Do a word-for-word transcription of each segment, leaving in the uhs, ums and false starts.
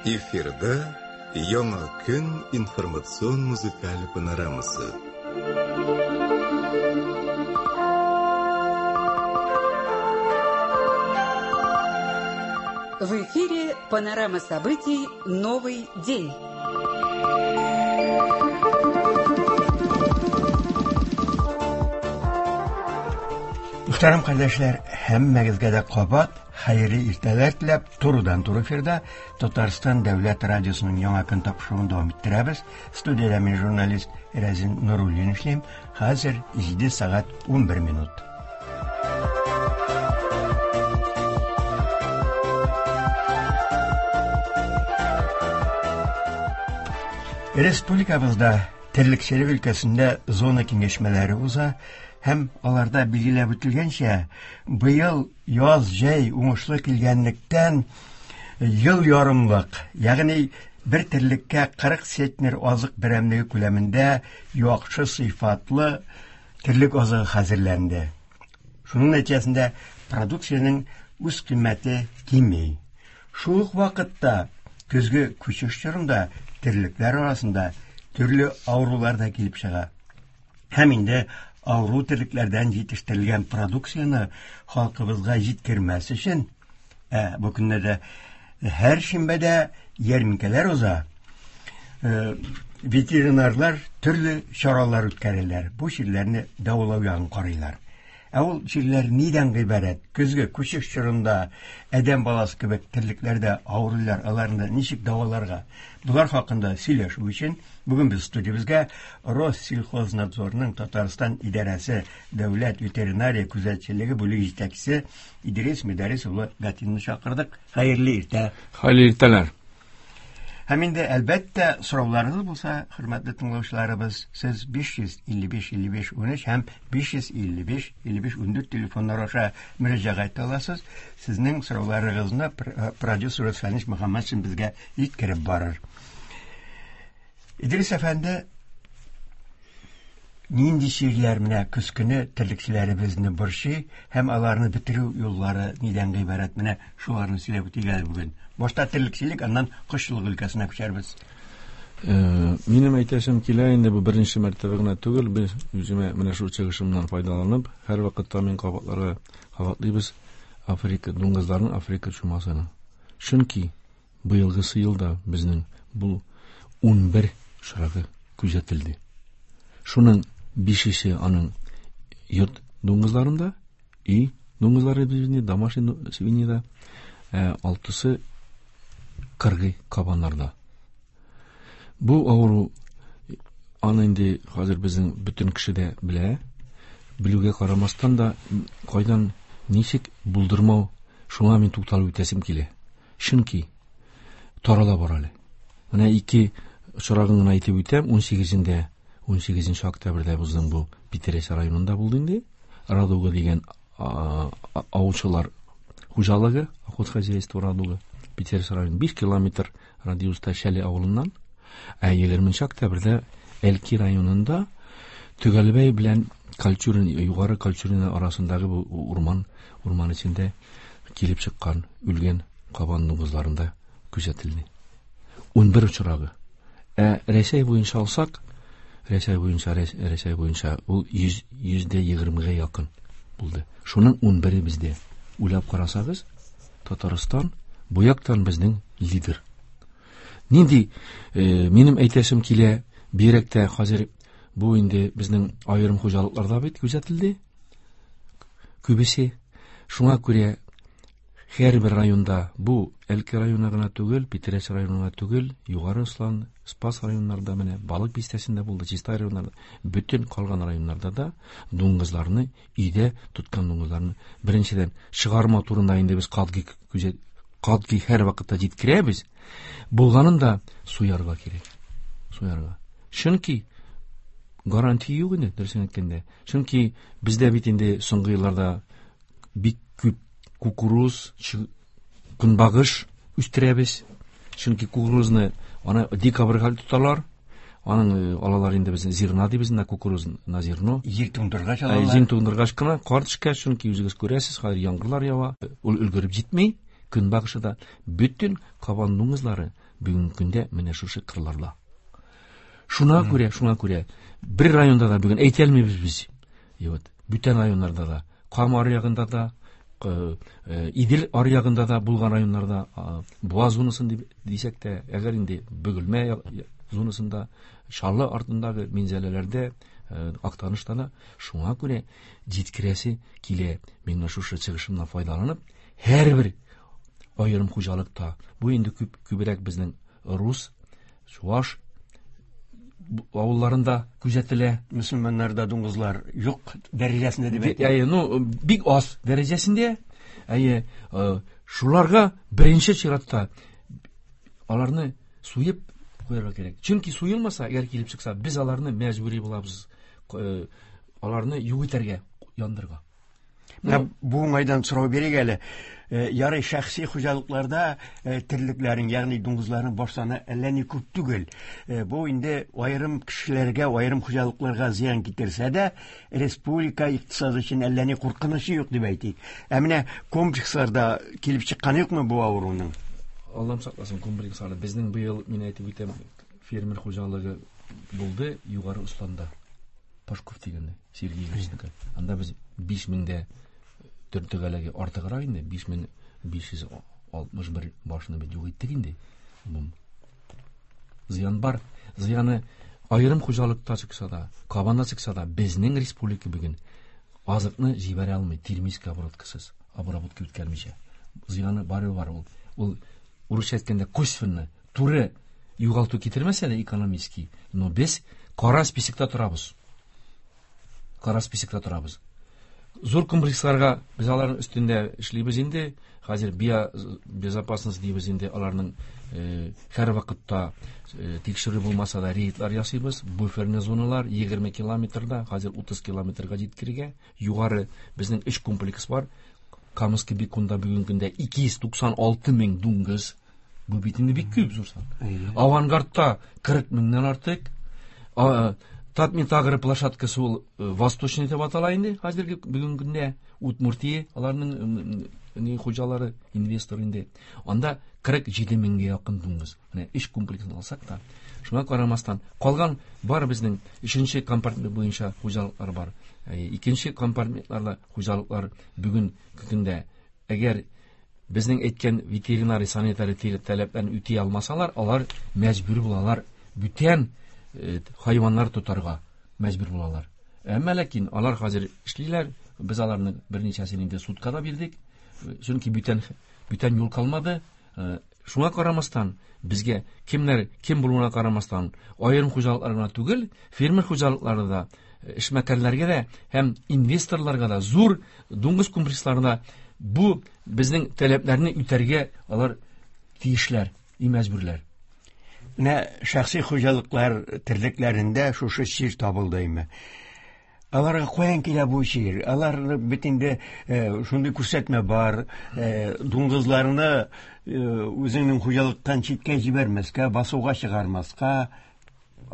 Эфирда Яңа көн информацион музыкаль панорамасы. В эфире панорама событий «Новый день». Мөхтәрәм кардәшләр, һәммәгезгә дә кабат хәерле иртәләр теләп, турыдан-туры эфирда Татарстан дәүләт радиосының Яңа көн тапшыруын дәвам иттерәбез. Студиядә мин журналист Рәзин Нуруллин эшлим. Хәзер җиде сәгать унбер минут. Республикабызда терлекчелек өлкәсендә зона киңәшмәләре уза һәм аларда билгеләп үтелгәнчә, быел яз җәй уңышлы килгәнлектән ел ярымлык, ягъни бер терлеккә кырык центнер азык берәмлеге күләмендә яхшы сыйфатлы терлек азыгы хәзерләнде. Шуның нәтиҗәсендә продукциянең үз кыйммәте кими. Шул ук вакытта көзге күчеш чорында терлекләр арасында төрле авырулар да килеп чыга. Һәм инде авыру терлекләрдән җитештерелгән продукцияне халкыбызга җиткермәс өчен, ә, бу көннәрдә һәр шимбәдә ярминкәләр уза. Э, ветеринарлар төрле чаралар үткәрәләр. Бу чирләрне дәвалау ягын карыйлар. Ә ул чирләр нидән гыйбарәт? Көзге күчеш чорында адәм баласы кебек терлекләрдә авырулар, аларны ничек дәваларга? Булар хакында сөйләшү өчен бүген без студиябезгә Россельхознадзорның Татарстан идарәсе дәүләт ветеринария күзәтчелеге бүлеге җитәкчесе Идрис Мөдәррис улы Гатинны чакырдык. Хәерле иртә. Хәерле иртәләр. Һәм инде әлбәттә сорауларыгыз булса, хөрмәтле тыңлаучыларыбыз, сез биш йөз илле биш илле биш унөч һәм биш йөз илле биш илле биш ундүрт телефоннар аша мөрәҗәгать итә аласыз. Сезнең сорауларыгызны пр-, продюсер Фәнис Мөхәммәтшин безгә җиткереп барыр. Идрис әфәнде, нинди чирләр менә көз көне терлекчеләребезне борчый һәм аларны бетерү юллары нидән гыйбарәт? Менә шуларны сөйләп үтик әле бүген. Башта терлекчелек, аннан кошчылык өлкәсенә күчәрбез. Э, минем әйтәсем килә инде, бу беренче мәртәбә генә түгел, без үземә менә шул чыгышымнан файдаланып, һәр вакытта мин кабатларга кабатлыйбыз Африка дуңгызларының Африка чумасını. Чөнки быелгысы елда безнең бу унбер очрагы күзәтелде. Шуның бишесе аның йорт дуңгызларында, өй дуңгызлары безнең домашний свиньяда, ә, алтысы кыргый кабаннарда. Бу авыру аны инде хәзер безнең бөтен кеше дә белә. Белүгә карамастан да кайдан ничек булдырмау, шуңа мин тукталып үтәсем килә. Чөнки тарала бара әле. Менә ике очрагын гына әйтеп үтәм. Ун сигезендә, ун сигезенче октябрьдә безнең бу Питрәч районында булды инде. Радуга дигән, а, а, аучылар хуҗалыгы, охотхозяйство Радуга, Питрәч районы биш километр радиуста Шәле авылыннан. Ә егерменче октябрьдә Әлки районында Төгәлбәй белән Кальчурин, Югары Кальчурин арасындагы бу урман, урман эчендә килеп чыккан үлгән кабан дуңгызларында күзәтелде. Унбер очрагы. Ә Рәсәй буенча алсак, Рәсәй буенча, Рәс-, Рәсәй буенча ул йөз, йөздә егермегә якын булды. Шуның унбере бездә. Уйлап карасагыз, Татарстан бу яктан безнең лидер. Нинди, э, минем әйтәсем килә, бигрәк тә хәзер бу инде безнең аерым хуҗалыкларда бит күзәтелде. Күбесе. Шуңа күрә һәрбер районда, бу Әлки районы гына түгел, Питрәч районы гына түгел, Югары Ослан, Спас районнарында, менә Балык бистәсендә булды, Чистай районнарында, бөтен калган районнарда да дуңгызларны, өйдә тоткан дуңгызларны беренчедән чыгарма турында инде без катгый күзәт, катгый һәр вакытта җиткерәбез. Булганын да суярга кирәк. Суярга. Чөнки гарантия юк инде, дөресен әйткәндә. Чөнки бездә бит инде соңгы елларда бик күп кукуруз, чы-, көнбагыш үстерәбез. Чөнки кукурузны аны декабрьгә тоталар. Аның, э, алалар инде безне зерна дибез, на кукуруз, на зерно. Җир туңдыргач Ә, алалар. Җир туңдыргач кына кар төшкәч, чөнки үзегез күрәсез, хәзер яңгырлар ява, ул өлгереп җитми. Көнбагышы да бөтен кабан дуңгызлары бүгенге көндә менә шушы кырларда. Шуңа күрә, шуңа күрә бер районда да бүген әйтә алмыйбыз без. Вот, бүтән районнарда да, Кама аръягында да, Идел аръягында да булган районнарда, Буа зонасын дип дисәк тә, әгәр инде Бөгелмә зонасында, Чаллы артындагы Минзәләләрдә, Актанышта да шуңа күрә җиткерәсе килә. Мин шушы чыгышымнан файдаланып, һәрбер аерым хуҗалыкта, бу инде күп күбрәк безнең рус, чуаш авылларында күзәтелә. Мөселманнарда дуңгызлар юк дәрәҗәсендә дип әйтә. Әйе, ну, бик аз дәрәҗәсендә. Әйе, шуларга беренче чиратта аларны суеп куярга кирәк. Чөнки суелмаса, әгәр килеп чыкса, без аларны мәҗбүри булабыз, аларны юк итәргә, яндырырга. Менә бу уңайдан сорау бирик әле. Ярый шәхси хуҗалыкларда терлекләрнең, ягъни дуңгызларның баш саны әллә ни күп түгел. Бу инде аерым кешеләргә, аерым хуҗалыкларга зыян китерсә дә, республика икътисады өчен әллә ни куркынычы юк дип әйтик. Ә менә комплексларда килеп чыкканы юкмы бу авыруның? Аллам сакласын, комплексларда. Безнең быел, мин әйтеп үтәм, фермер хуҗалыгы булды Югары Осланда. Пашков дигәндә, Сергей Ильичнеке. Анда без биш меңдә төртегәләге артыграк инде, биш мең биш йөз алтмыш бер башны без юк иттек инде. Зыян бар. Зыяны аерым хуҗалыкта чыкса да, кабанда чыкса да, безнең республика бүген азыкны җибәрә алмый, термический обработкасыз, обработка үткәрмичә. Зыяны бары бар ул. Ул урысча әйткәндә косвенно, туры югалту китермәсә дә экономический, но без кара списокта торабыз. Кара списокта торабыз. Зур комплексларга без аларның өстендә эшлибез инде. Хәзер биобезопасность дибез инде, аларның һәр вакытта тикшерү булмаса да рейдлар ясыйбыз. Буферный зоналар егерме километрда, хәзер утыз километрга җиткергә. Югары безнең өч комплекс бар. Камский Беконда бүгенге көндә ике йөз туксан алты мең дуңгыз. Бу бит инде бик күп зур сан. Авангардта кырык меңнән артык. Татмитагры площадкасы ул Восточный дип атала инде хәзерге бүгенге көндә. Удмуртия аларның ни хуҗалары, инвестор инде. Анда кырык җиде меңгә якын дуңгыз. Менә өч комплексын алсак та, шуңа карамастан калган бар безнең өченче компартмент буенча хуҗалыклар бар. Икенче компартментларда хуҗалыклар бүген көндә әгәр безнең әйткән ветеринарий санитарий таләпләрен үти алмасалар, алар мәҗбүр булалар бүтән хайваннар тотарга мәҗбүр булалар. Әмма ләкин алар хәзер эшлиләр. Без аларны берничәсен инде судка да бирдек. Чөнки бүтән бүтән юл калмады. Шуңа карамастан безгә кемнәр кем булуына карамастан аерым хуҗалыклар гына түгел, фермер хуҗалыклары да, эшмәкәрләргә дә һәм инвесторларга да, зур дуңгыз комплексларына бу безнең таләпләрне үтәргә алар тиешләр, мәҗбүрләр. Менә шәхси хуҗалыклар терлекләрендә шушы чир табылды име? Аларга каян килә бу чир? Алар бит инде шундый күрсәтмә бар, дуңгызларны үзеңнең хуҗалыктан читкә җибәрмәскә, басуга чыгармаска.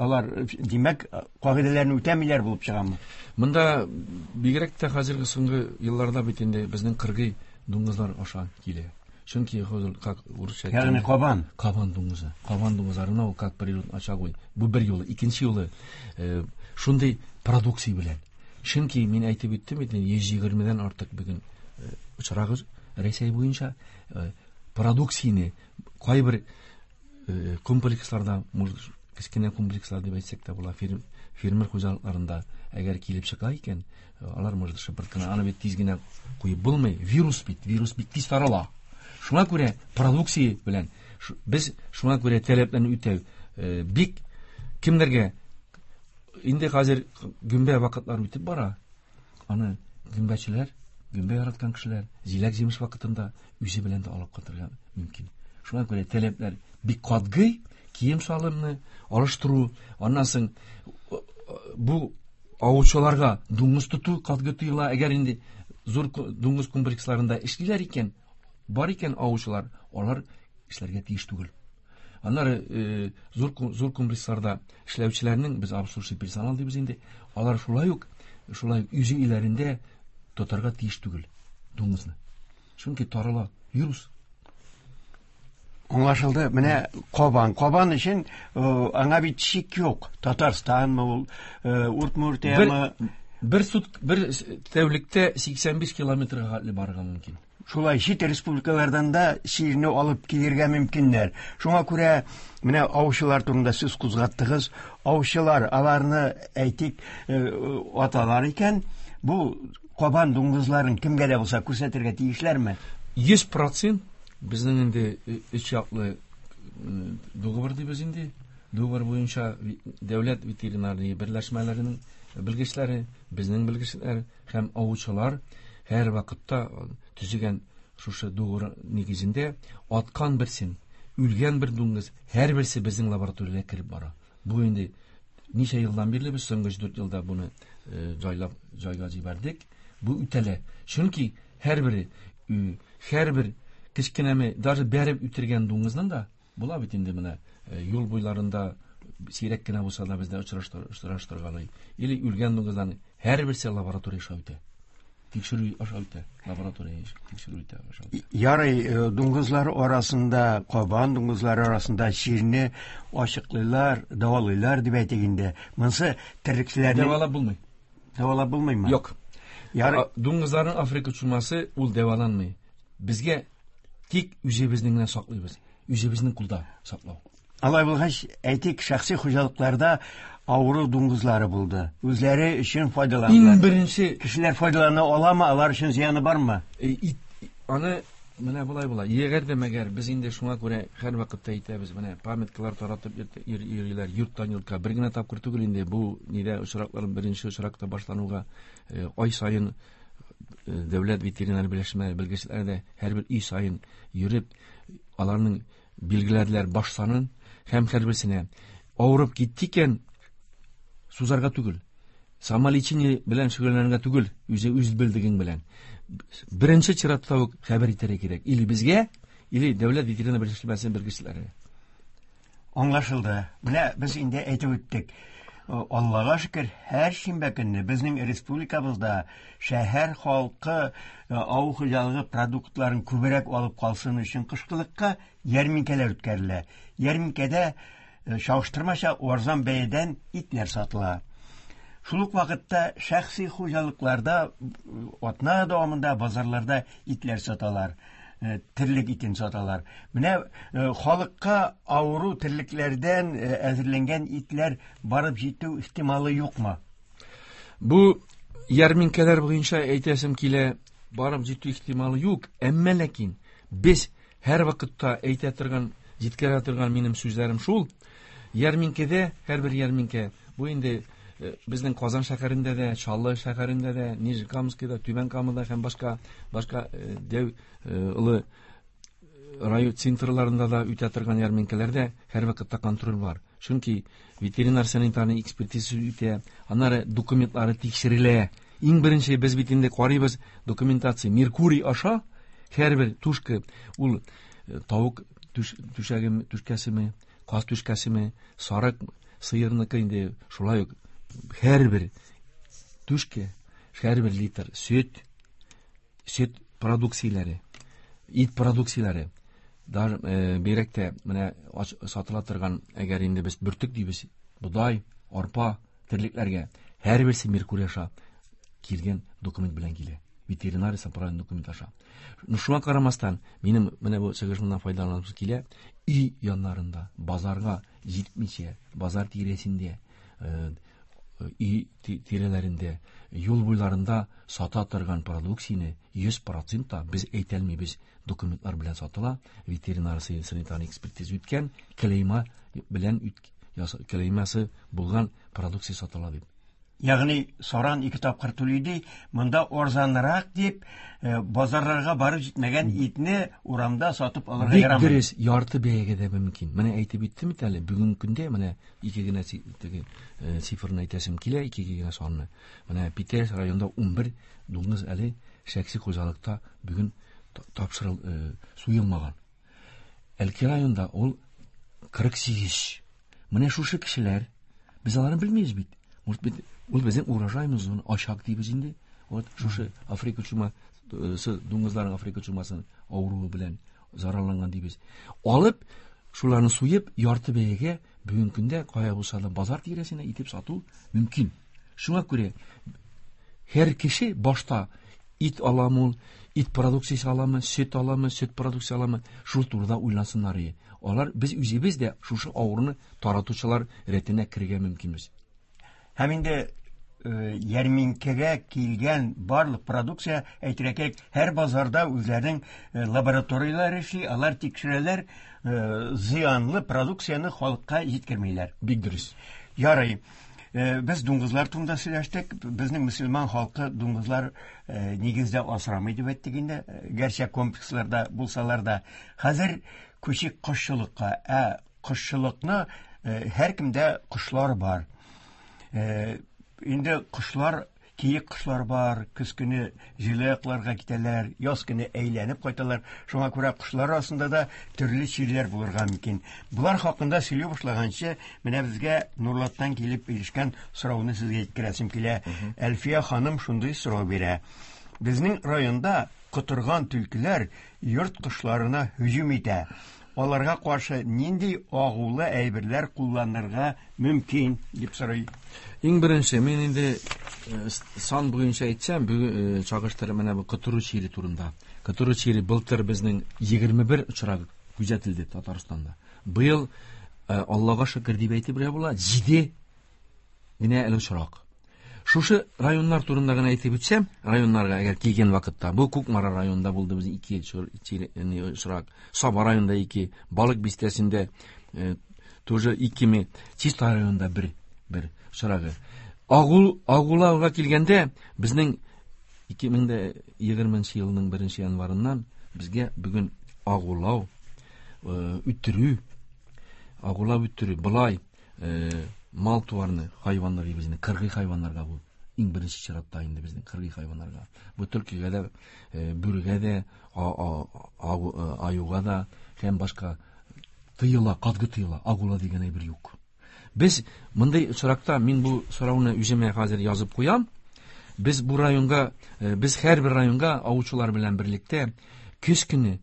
Алар, димәк, кагыйдәләрне үтәмиләр булып чыгамы? Монда бигрәк тә хәзерге соңгы елларда бит инде безнең кыргый дуңгызлар аша килә. Чөнки хәзер как урысча ягъни кабан, кабан дуңгызы, кабан дуңгызларына ул как природный очаг. Бу бер юлы, икенче юлы шундый продукция белән. Чөнки мин әйтеп үттем бит, йөз егермедән артык бүген очрагы Рәсәй буенча продукцияне кайбер комплексларда, может, кечкенә комплекслар дип әйтсәк тә була, фермер хуҗалыкларында әгәр килеп чыга икән, алар может шыпырт кына, аны бит тиз генә куеп булмый. Вирус бит, вирус бик тиз тарала. Шуңа күрә продукция белән без шуңа күрә таләпләрне үтәү бик кемнәргә инде хәзер гөмбә вакытлары үтеп бара. Аны гөмбәчеләр, гөмбә яраткан кешеләр җиләк-җимеш вакытында үзе белән дә алып кайтырга мөмкин. Шуңа күрә таләпләр бик катгый, кием салымны алыштыру, аннан соң бу аучыларга дуңгыз тоту катгый тыела. Әгәр инде зур дуңгыз комплексларында эшлиләр икән, бар икән аучылар, алар эшләргә тиеш түгел. Аннары зур зур комплексларда эшләүчеләрнең, без обслуживающий персонал дибез инде, алар шулай ук шулай үз өйләрендә тотарга тиеш түгел дуңгызны. Чөнки тарала вирус. Аңлашылды. Менә кабан. Кабан өчен аңа бит чик юк. Татарстанмы ул, Удмуртиямы? Бер сут, бер тәүлектә сиксән биш километрга хәтле барырга мөмкин. Шулай чит республикалардан да чирне алып килергә мөмкиннәр. Шуңа күрә менә аучылар турында сүз кузгаттыгыз. Аучылар аларны әйтик, аталар икән, бу кабан дуңгызларын кемгә дә булса күрсәтергә тиешләрме? Йөз процент безнең инде өч яклы договор дибез инде. Договор буенча дәүләт ветеринария берләшмәләренең белгечләре, безнең белгечләр һәм аучылар һәр вакытта төзегән шушы договор нигезендә аткан берсен, үлгән бер дуңгыз һәрберсе безнең лабораториягә кереп бара. Бу инде ничә елдан бирле без соңгы дүрт елда буны җайлап җайга җибәрдек. Бу үтәлә. Чөнки һәрбере, һәрбер кечкенәме, даже бәреп үтергән дуңгызның да була бит инде менә юл буйларында сирәк кенә булса да бездә очраштыргалый. Или үлгән дуңгызларның һәрберсе лаборатория аша үтә. Тикшерү аша үтә, лаборатория тикшерү үтә аша үтә. Ярый, дуңгызлар арасында, кабан дуңгызлары арасында чирне ачыклыйлар, дәвалыйлар дип әйтик инде. Монысы терлекчеләрнең дәвалап булмый. Дәвалап булмыймы? Юк. Ярый, дуңгызларның Африка чумасы ул дәваланмый. Безгә тик үзебезнең генә саклыйбыз. Үзебезнең кулда саклау. Алай булгач, әйтик, шәхси хуҗалыкларда авыру дуңгызлары булды. Үзләре өчен файдаландылар. Иң беренче кешеләр файдалана аламы, алар өчен зыяны бармы? E, аны менә болай була. Әгәр дә мәгәр без инде шуңа күрә һәр вакытта әйтәбез, менә памяткалар таратып йөриләр йорттан йортка. Бер генә тапкыр түгел инде бу нидә очраклар беренче очракта башлануга ай саен дәүләт ветеринар берләшмәләре белгечләре дә һәрбер өй саен йөреп аларның билгеләделәр баш санын һәм һәрберсенә авырып китте икән сузарга түгел, самолечение белән шөгыльләнергә түгел, үзе үз белдегең белән. Беренче чиратта ук хәбәр итәргә кирәк. Или безгә, или дәүләт ветеринар берләшмәсе белгечләренә. Аңлашылды. Менә без инде әйтеп үттек. Аллага шөкер, һәр шимбә көнне безнең республикабызда шәһәр халкы авыл хуҗалыгы продуктларын күбрәк алып калсын өчен кышкылыкка ярминкәләр үткәрелә. Ярминкәдә чагыштырмача арзан бәядән итләр сатыла. Шул ук вакытта шәхси хуҗалыкларда атна дәвамында базарларда итләр саталар, терлек итен саталар. Менә халыкка авыру терлекләрдән әзерләнгән итләр барып җитү ихтималы юкмы? Бу ярминкәләр буенча әйтәсем килә, барып җитү ихтималы юк, әмма ләкин без һәр вакытта әйтә торган, җиткерә торган минем сүзләрем шул. Ярминкәдә, һәрбер ярминкә, бу инде безнең Казан шәһәрендә дә, Чаллы шәһәрендә дә, Нижнекамскида, Түбән Камада һәм башка башка дәү олы район центрларында да үтә торган ярминкәләрдә һәр вакытта контроль бар. Чөнки ветеринар санитарный экспертиза үтә, аннары документлары тикшерелә. Иң беренче без бит инде карыйбыз документация Меркурий аша һәрбер тушка ул тавык түшәге түшкәсеме, каз түшкәсеме, сарык, сыерныкы инде шулай ук һәрбер түшкә, һәрбер литр сөт, сөт продукцияләре, ит продукцияләре, даже бигрәк тә менә сатыла торган, әгәр инде без бөртек дибез, бодай, арпа терлекләргә һәрберсе Меркурий аша килгән документ белән килә. Ветеринария санитарный документ аша. Шуңа карамастан, минем менә бу чыгышымнан файдаланасым килә, өй яннарында, базарга җитмичә, базар тирәсендә, өй тирәләрендә, юл буйларында сата торган продукцияне йөз процентта без әйтә алмыйбыз, документлар белән сатыла, ветеринар санитарный экспертиза үткән, клейма белән клеймасы булган продукция сатыла дип. Ягъни саран ике тапкыр түли ди, монда арзанрак дип базарларга барып җитмәгән итне урамда сатып алырга ярамый. Бик дөрес, ярты бәягә дә мөмкин. Менә әйтеп үттем бит әле, бүгенге көндә менә ике генә теге цифрны әйтәсем килә, ике генә санны. Менә Питәш районында ун бер дуңгыз әле шәхси хуҗалыкта бүген тапшырыл суелмаган. Әлки районында ул кырык сигез. Менә шушы кешеләр, без аларны белмибез бит. Может быть, ул безнең урожайымыз ашак дибез инде. Вот шушы Африка чума, дуңгызларның Африка чумасын авыруы белән Зарарланган дибез. Алып, шуларны суеп, ярты бәягә бүгенге көндә кая булса да базар тирәсенә итеп сату мөмкин. Шуңа күрә һәр кеше башта ит аламы ул, ит продукциясе аламы, сөт аламы, сөт продукциясе аламы, шул турыда уйлансыннар иде. Алар без үзебез дә шушы авыруны таратучылар рәтенә керергә мөмкинбез. Һәм инде ярминкәгә килгән барлык продукция, әйтергә кирәк, һәр базарда үзләренең лабораторияләре эшли, алар тикшерәләр, зыянлы продукцияне халыкка җиткермиләр. Бик дөрес. Ярый. Без дуңгызлар турында сөйләштек. Безнең мөселман халкы дуңгызлар нигездә асрамый дип әйттек инде, гәрчә комплексларда булсалар да. Хәзер күчик кошчылыкка. Ә кошчылыкны һәркемдә кошлар бар. Инде кошлар, киек кошлар бар, көз көне җылы якларга китәләр, яз көне әйләнеп кайталар. Шуңа күрә кошлар арасында да төрле чирләр булырга мөмкин. Булар хакында сөйли башлаганчы, менә безгә Нурлаттан килеп ирешкән сорауны сезгә җиткерәсем килә. Әлфия ханым шундый сорау бирә. Безнең районда котырган түлкеләр йорт кошларына һөҗүм итә. Аларга каршы нинди агулы әйберләр кулланырга мөмкин дип сорый. Иң беренче, мин инде сан буенча әйтсәм, бүген чагыштырып менә бу котыру чире турында. Котыру чире былтыр безнең егерме бер очрагы күзәтелде Татарстанда. Быел Аллага шөкер дип әйтеп була, җиде генә әле очрак. Шушы районнар турында гына әйтеп үтсәм, районнарга әгәр килгән вакытта, бу Кукмара районында булды безнең ике очрак, Саба районында ике, Балык бистәсендә тоже ике, Чистай районында бер, бер очрагы. Агул, агулауга килгәндә, безнең ике мең дә егерменче елның беренче январыннан безгә бүген агулау, үтерү, агулау үтерү, былай, мал туарны, хайваннар безнең, кыргый хайваннарга бу. Иң беренче чиратта инде безнең кыргый хайваннарга. Бу төлкегә дә, бүрегә дә, аюга да һәм башка тыела, катгы тыела, агула дигән әйбер юк. Без мондый очракта, мин бу сорауны үземә хәзер язып куям. Без бу районга, без һәрбер районга аучылар белән берлектә көз көне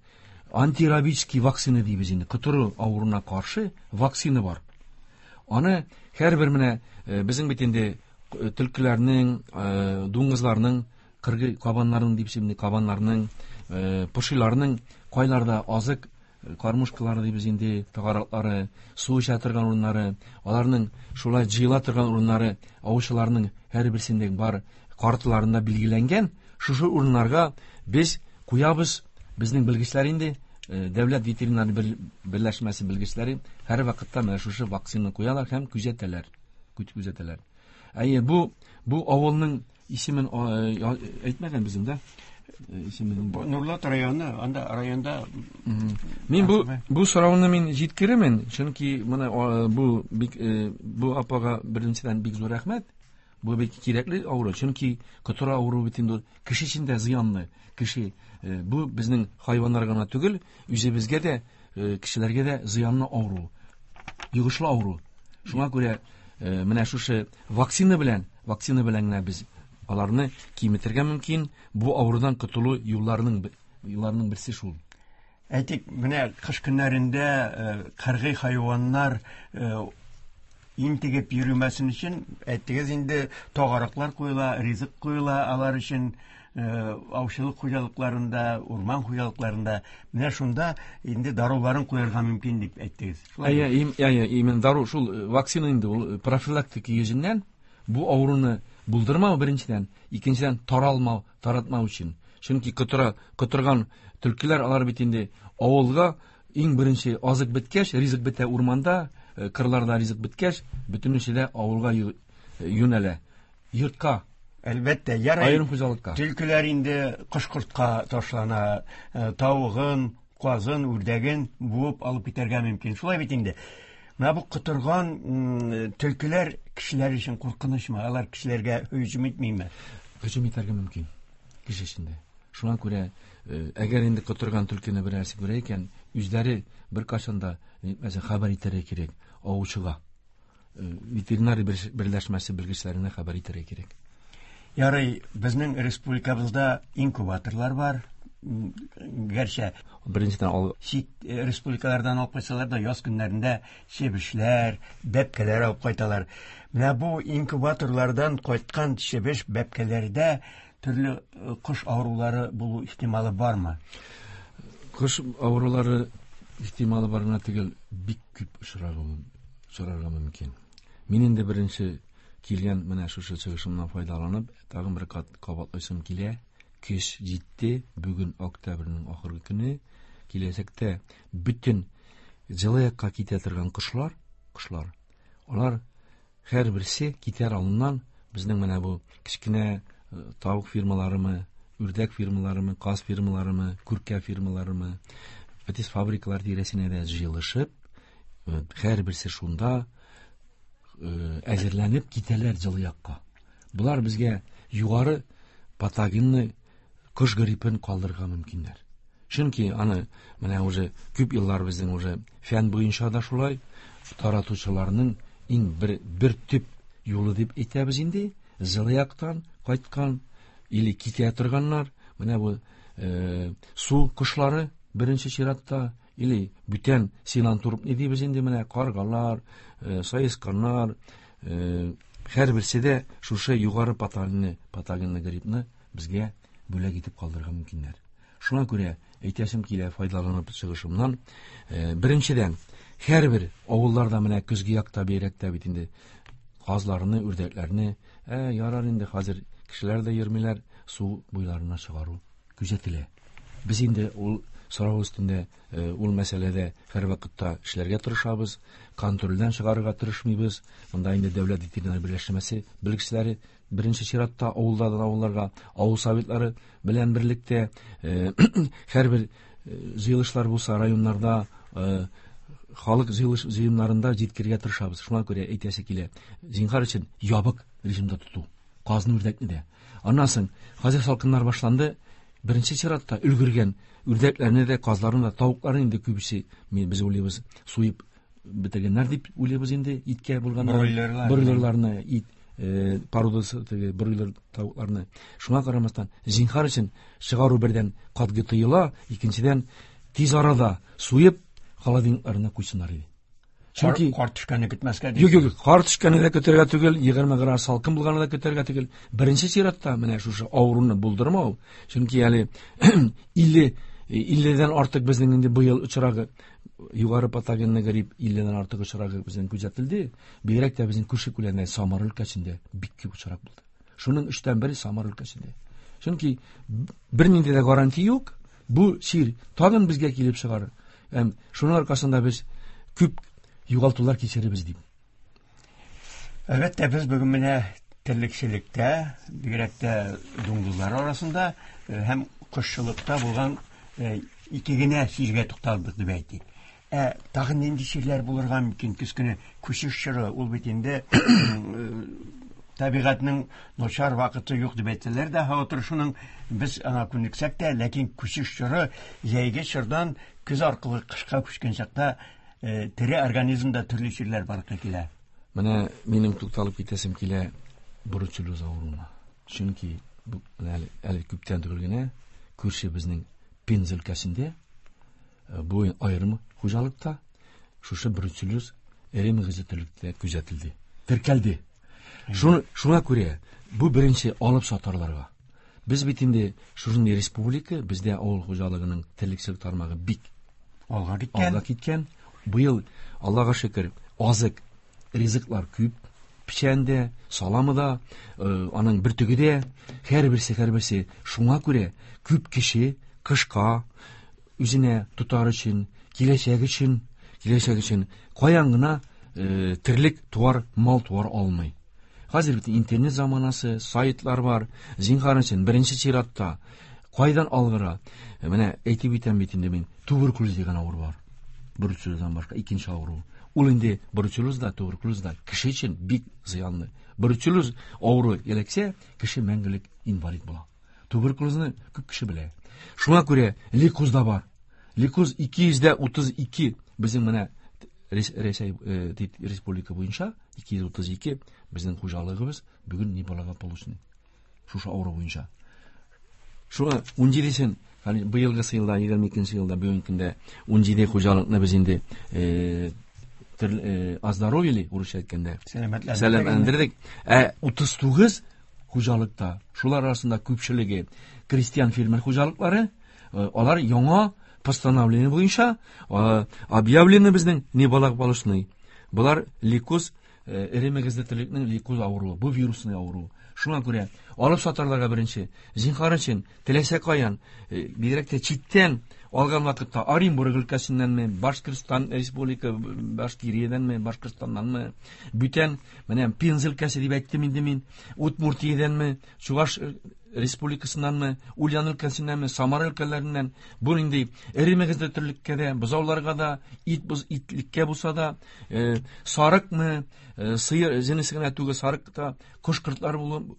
антирабический вакцина дибез инде, котыру авыруына каршы вакцина бар. Аны һәрбер менә безнең бит инде төлкеләрнең, дуңгызларның, кыргый кабаннарның дип исемле кабаннарның, пошиларның кайларда азык кормушкалары дибез инде, тагараклары, су эчә торган урыннары, аларның шулай җыела торган урыннары аучыларның һәрберсендә бар карталарында билгеләнгән. Шушы урыннарга без куябыз, безнең белгечләр инде, дәүләт ветеринар берләшмәсе белгечләре һәр вакытта менә шушы вакцинаны куялар һәм күзәтәләр, күзәтәләр. Әйе, бу, бу авылның исемен әйтмәгән безнең дә. Исемен. Нурлат районы, анда районда. Мин бу, бу сорауны мин җиткерермен, чөнки менә бу бик, бу апага беренчедән бик зур рәхмәт. Бу бик кирәкле авыру, чөнки котыру авыруы бит инде кеше өчен дә зыянлы. Кеше, бу безнең хайваннар гына түгел, үзебезгә дә, кешеләргә дә зыянлы авыру, йогышлы авыру. Шуңа күрә менә шушы вакцина белән, вакцина белән генә без аларны киметергә мөмкин. Бу авырудан котылу юлларының, юлларының берсе шул. Әйтик, менә кыш көннәрендә кыргый хайваннар интегеп йөрмәсен өчен, әйттегез инде, тагараклар куела, ризык куела алар өчен, аучылык хуҗалыкларында, урман хуҗалыкларында. Менә шунда инде даруларын куярга мөмкин дип әйттегез. Әйе, әйе, именно дару шул вакцина инде ул профилактика йөзеннән бу авыруны булдырмау беренчедән, икенчедән таралмау, таратмау өчен. Чөнки котыра, котырган төлкеләр алар бит инде авылга иң беренче азык беткәч, ризык бетә урманда, кырларда ризык беткәч, бөтенесе дә авылга юнәлә. Йортка. Әлбәттә, ярай. Аерым хуҗалыкка. Төлкеләр инде кош-кортка ташлана, тавыгын, казын, үрдәген буып алып китәргә мөмкин. Шулай бит инде. Менә бу котырган төлкеләр кешеләр өчен куркынычмы? Алар кешеләргә һөҗүм итмиме? Һөҗүм итәргә мөмкин кеше өчен дә. Шуңа күрә, әгәр инде котырган төлкене берәрсе күрә икән, үзләре бер кашан да, мәсәлән, хәбәр итәргә кирәк аучыга. Ветеринар берләшмәсе белгечләренә хәбәр итәргә кирәк. Ярый, безнең республикабызда инкубаторлар бар. Гәрчә Беренчедән ал чит республикалардан алып кайтсалар да, яз көннәрендә чебешләр, бәбкәләр алып кайталар. Менә бу инкубаторлардан кайткан чебеш бәбкәләрдә төрле кош авырулары булу ихтималы бармы? Кош авырулары ихтималы бар гына түгел, бик күп очрарга мөмкин. Мин инде беренче килгән менә шушы чыгышымнан файдаланып, тагын бер кат кабатлыйсым килә. Көз җитте, бүген октябрьнең ахыргы көне. Киләчәктә бөтен җылы якка китә торган кошлар, кошлар, алар һәрберсе китәр алдыннан безнең менә бу кечкенә тавык фирмаларымы, үрдәк фирмаларымы, каз фирмаларымы, күркә фирмаларымы, бөтен фабрикалар тирәсенә дә җыелышып, һәрберсе шунда әзерләнеп китәләр җылы якка. Болар безгә югары патогенны кош гриппен калдырырга мөмкиннәр. Чөнки аны менә уже күп еллар безнең уже фән буенча да шулай таратучыларның иң бер, бер төп юлы дип әйтәбез инде, җылы яктан кайткан или китә торганнар, менә бу э, су кошлары беренче чиратта, или бүтән синантропный дибез инде, менә каргалар, э, саесканнар, э, һәрберсе дә шушы югары патогенны, патогенны гриппны безгә бүләк итеп калдырырга мөмкиннәр. Шуңа күрә әйтәсем килә файдаланып чыгышымнан, э, беренчедән, һәрбер авылларда менә көзге якта бигрәк тә бит инде казларны, үрдәкләрне, ә, ярар инде хәзер кешеләр дә йөрмиләр, су буйларына чыгару күзәтелә. Без инде ул сорау өстендә, ул мәсьәләдә һәр вакытта эшләргә тырышабыз, контрольдән чыгарырга тырышмыйбыз. Монда инде дәүләт ветеринар берләшмәсе белгечләре беренче чиратта авылдардан авылларга, авыл советлары белән берлектә, һәрбер җыелышлар булса районнарда, халык җыелыш җыеннарында җиткерергә тырышабыз. Шуңа күрә әйтәсе килә, зинһар өчен ябык режимда тоту, казны, үрдәкне дә. Аннан соң хәзер салкыннар башланды, беренче чиратта өлгергән үрдәкләрне дә, казларны да, тавыкларны инде күбесе без уйлыйбыз, суеп бетергәннәр дип уйлыйбыз инде, иткә булганнар. Бройлерлар. Бройлерларны, ит, э, породасы теге бройлер тавыкларны. Шуңа карамастан, зинһар өчен чыгару бердән катгый тыела, икенчедән тиз арада суеп холодильникларына куйсыннар иде. Чөнки кар төшкәнне көтмәскә. Юк, юк, кар төшкәнне дә көтәргә түгел, егерме градус салкын булганны да көтәргә түгел. Беренче чиратта менә шушы авыруны булдырмау, чөнки әле илле, илледән артык безнең инде быел очрагы югары патогенны грипп илледән артык очрагы безнең күзәтелде. Бигрәк тә безнең күрше күләмдә Самар өлкәсендә бик күп очрак булды. Шуның өчтән бере Самар өлкәсендә. Чөнки бернинди дә гарантия юк, бу чир тагын безгә килеп чыгар. Һәм шуның аркасында без күп югалтулар кичеребез дип. Әлбәттә, без бүген менә терлекчелектә, бигрәк тә дуңгызлар арасында һәм кошчылыкта булган ике генә чиргә тукталдык дип әйтик. Ә тагын нинди чирләр булырга мөмкин? Көз көне күчеш чоры, ул бит инде табигатьнең начар вакыты юк дип әйтсәләр дә, һава торышының без аңа күнексәк тә, ләкин күчеш чоры җәйге чордан көз аркылы кышка күчкән чакта тере организмда төрле чирләр барлыкка килә. Менә минем тукталып китәсем килә бруцеллез авыруына. Чөнки бу әле, әле күптән түгел генә күрше безнең Пенза өлкәсендә бу аерым хуҗалыкта шушы бруцеллез эре мөгезле терлектә күзәтелде, теркәлде. Шуны, шуңа күрә бу беренче алып сатарларга. Без бит инде шушындый республика, бездә авыл хуҗалыгының терлекчелек тармагы бик алга киткән. Алга киткән. Быел, Аллага шөкер, азык, ризыклар күп, печән дә, саламы да, аның бөртеге дә, һәрберсе, һәрберсе. Шуңа күрә күп кеше кышка үзенә тотар өчен, киләчәк өчен, киләчәк өчен каян гына, э, терлек туар, мал туар алмый. Хәзер бит интернет заманасы, сайтлар бар. Зинһар өчен беренче чиратта кайдан алгыра? Менә әйтеп үтәм бит инде мин, туберкулез дигән авыру бар. Бруцеллездан башка икенче авыру. Ул инде бруцеллез да, туберкулез да кеше өчен бик зыянлы. Бруцеллез авыруы эләксә, кеше мәңгелек инвалид була. Туберкулезны күп кеше белә. Шуңа күрә лейкоз да бар. Лейкоз ике йөз дә утыз ике безнең менә Рәсәй, э, республика буенча ике йөз утыз ике безнең хуҗалыгыбыз бүген неблагополучный. Шушы авыру буенча. Шуңа ун җидесен Быелгысы елда, егерме икенче елда, бүгенге көндә ун җиде хуҗалыкны без инде оздоровили, урысча әйткәндә. Сәламәтләндердек. Ә утыз тугыз хуҗалыкта, шулар арасында күпчелеге крестьян фермер хуҗалыклары, алар яңа постановление буенча объявлены безнең неблагополучный. Булар лейкоз, эре мөгезле терлекнең лейкоз авыруы, бу вирусный авыру. Шуңа күрә алып сатарларга беренче, зинһар өчен, теләсә каян, бигрәк тә читтән алган вакытта Оренбург өлкәсеннәнме, Башкортстан Республика, Башкириядәнме, Башкортстаннанмы, бүтән, менә Пенза өлкәсе дип әйттем инде мин, Удмуртиядәнме, Чуваш Республикасыннанмы, Ульян өлкәсеннәнме, Самара өлкәләреннән, бу инде эре мөгезле терлеккә дә, бозауларга да, ит боз итлеккә булса да, сарыкмы, сыер җенесе генә түгел, сарык та, кош-кортлар булып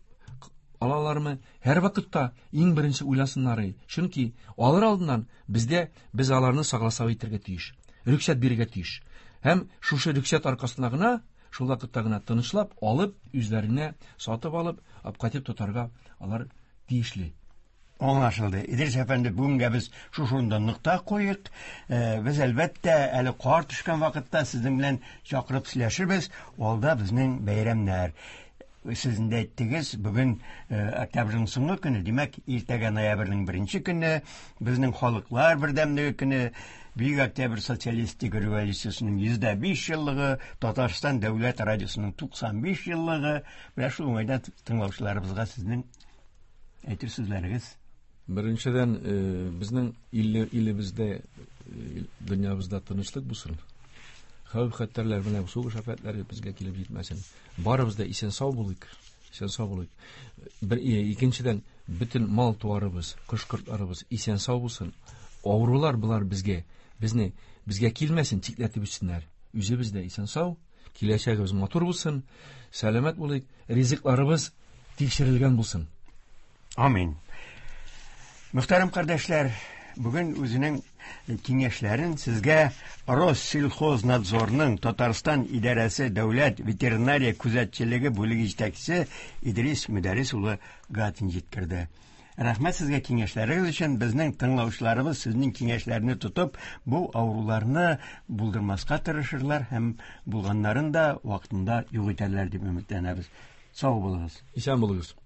алалармы, һәр вакытта иң беренче уйласыннар. Чөнки алыр алдыннан бездә без аларны согласовать итәргә тиеш, рөхсәт бирергә тиеш. Һәм шушы рөхсәт аркасында гына, шул вакытта гына тынычлап алып, үзләренә сатып алып, алып кайтып тотарга алар тиешле. Аңлашылды. Идрис әфәнде, бүгенгә без шушында нокта куйык. Без әлбәттә әле кар төшкән вакытта сезнең белән чакырып сөйләшербез. Алда безнең бәйрәмнәр. Сез инде әйттегез, бүген октябрьнең соңгы көне, димәк, иртәгә ноябрьнең беренче көне, безнең халыклар бердәмлеге көне, Бөек Октябрь социалистик революциясенең йөз дә биш еллыгы, Татарстан дәүләт радиосының туксан биш еллыгы. Менә шул уңайдан тыңлаучыларыбызга сезнең әйтер сүзләрегез. Беренчедән, безнең илебездә, дөньябызда тынычлык булсын. Хәвеф-хәтәрләр белән сугыш афәтләре безгә килеп җитмәсен. Барыбыз да исән-сау булыйк, исән-сау булыйк. Бер, икенчедән, бөтен мал-туарыбыз, кош-кортларыбыз исән-сау булсын. Авырулар булар безгә, безне, безгә килмәсен, читләтеп үтсеннәр. Үзебез дә исән-сау, киләчәгебез матур булсын, сәламәт булыйк, ризыкларыбыз тикшерелгән булсын. Амин. Мөхтәрәм кардәшләр, бүген үзенең киңәшләрен сезгә Россельхознадзорның Татарстан идарәсе дәүләт ветеринария күзәтчелеге бүлеге җитәкчесе Идрис Мөдәррис улы Гатин җиткерде. Рәхмәт сезгә киңәшләрегез өчен. Безнең тыңлаучыларыбыз сезнең киңәшләрне тотып, бу авыруларны булдырмаска тырышырлар һәм булганнарын да вакытында юк итәрләр дип өметләнәбез. Сау булыгыз. Исән булыгыз.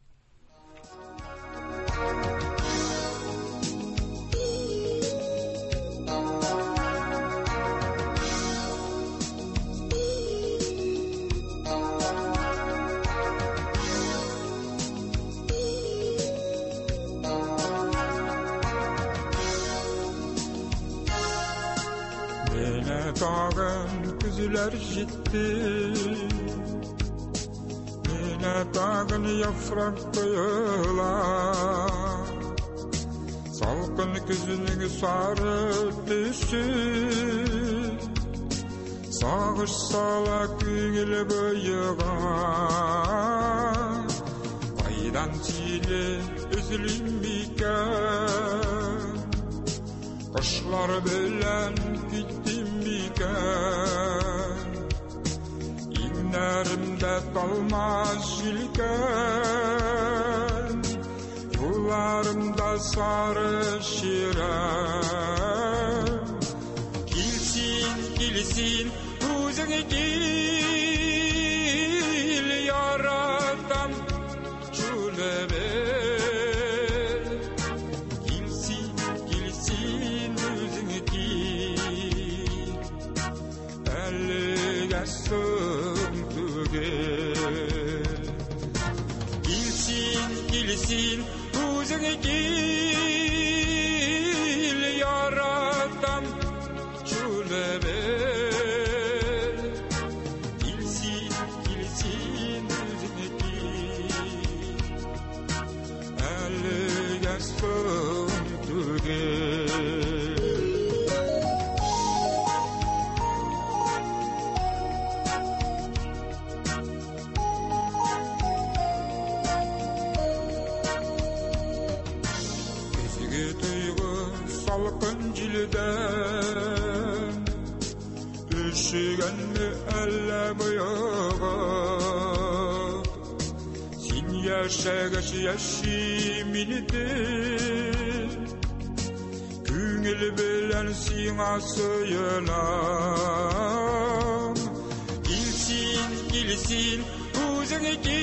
Tağın ciddi, yine tağın yaprak koyular, salkın küzünün sarı tüsü, sağış sala küngül boyuğa, kaydan çile üzülüm iken, kuşlar bilen gittim iken. İnlerimde dalmaz yelken, yollarımda sarı şirem. Kilsin, kilsin, uzun gil, yaratam şunu bil. Kilsin, kilsin, uzun gil, elge sığ. Kilsin, kilsin, uzun gil, yaratam şunu bil. Kilsin, kilsin, uzun gil, elge sığ tügel. Üşügenli elle boyağa, Sin yaşagış yaşim indi, Күңел белән сиңа сөенәм. Килсин, килсин, үзең кил.